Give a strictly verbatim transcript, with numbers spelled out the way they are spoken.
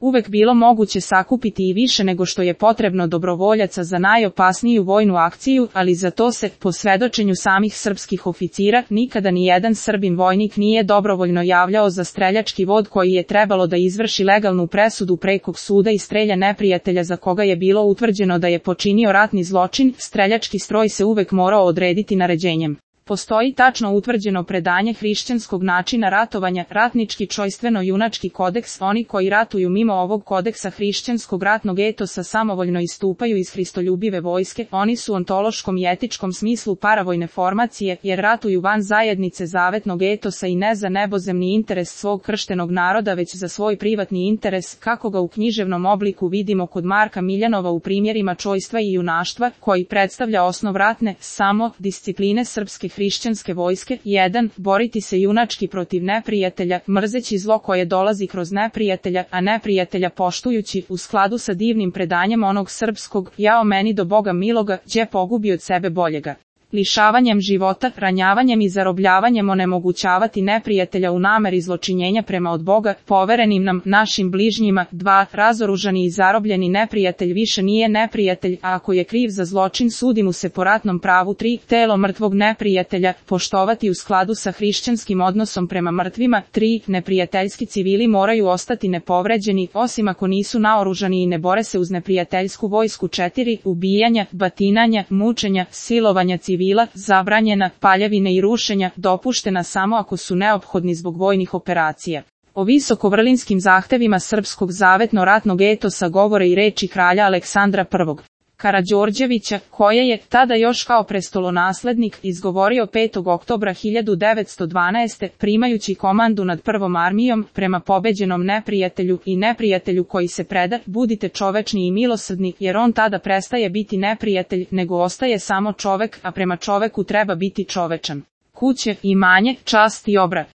uvek bilo moguće sakupiti i više nego što je potrebno dobrovoljaca za najopasniju vojnu akciju, ali za to se, po svedočenju samih srpskih oficira, nikada ni jedan Srbin vojnik nije dobrovoljno javljao za streljački vod koji je trebalo da izvrši legalnu presudu prekog suda i strelja neprijatelja za koga je bilo utvrđeno da je počinio ratni zločin. Streljački stroj se uvek morao odrediti naređenjem. Postoji tačno utvrđeno predanje hrišćanskog načina ratovanja, ratnički čojstveno-junački kodeks. Oni koji ratuju mimo ovog kodeksa hrišćanskog ratnog etosa samovoljno istupaju iz hristoljubive vojske, oni su u ontološkom i etičkom smislu paravojne formacije, jer ratuju van zajednice zavetnog etosa i ne za nebozemni interes svog krštenog naroda, već za svoj privatni interes, kako ga u književnom obliku vidimo kod Marka Miljanova u primjerima čojstva i junaštva, koji predstavlja osnov ratne, samo, discipline srpske hrišćanske vojske. jedan. Boriti se junački protiv neprijatelja, mrzeći zlo koje dolazi kroz neprijatelja, a neprijatelja poštujući, u skladu sa divnim predanjem onog srpskog, jao meni do Boga miloga, đe pogubi od sebe boljega. Lišavanjem života, ranjavanjem i zarobljavanjem onemogućavati neprijatelja u nameri zločinjenja prema od Boga, poverenim nam, našim bližnjima. dva. Razoružani i zarobljeni neprijatelj više nije neprijatelj, a ako je kriv za zločin sudi mu se po ratnom pravu. tri. Telo mrtvog neprijatelja, poštovati u skladu sa hrišćanskim odnosom prema mrtvima. tri. Neprijateljski civili moraju ostati nepovređeni, osim ako nisu naoružani i ne bore se uz neprijateljsku vojsku. četiri. Ubijanja, batinanja, mučenja, silovanja civila, zabranjena, paljevine i rušenja, dopuštena samo ako su neophodni zbog vojnih operacija. O visokovrlinskim zahtevima srpskog zavetno-ratnog etosa govore i reči kralja Aleksandra prvog. Karađorđevića, koje je, tada još kao prestolonaslednik, izgovorio petog oktobra hiljadu devetsto dvanaeste. primajući komandu nad prvom armijom, prema pobeđenom neprijatelju i neprijatelju koji se preda, budite čovečni i milosrdni, jer on tada prestaje biti neprijatelj, nego ostaje samo čovek, a prema čoveku treba biti čovečan. Kuće, imanje, čast i obrat.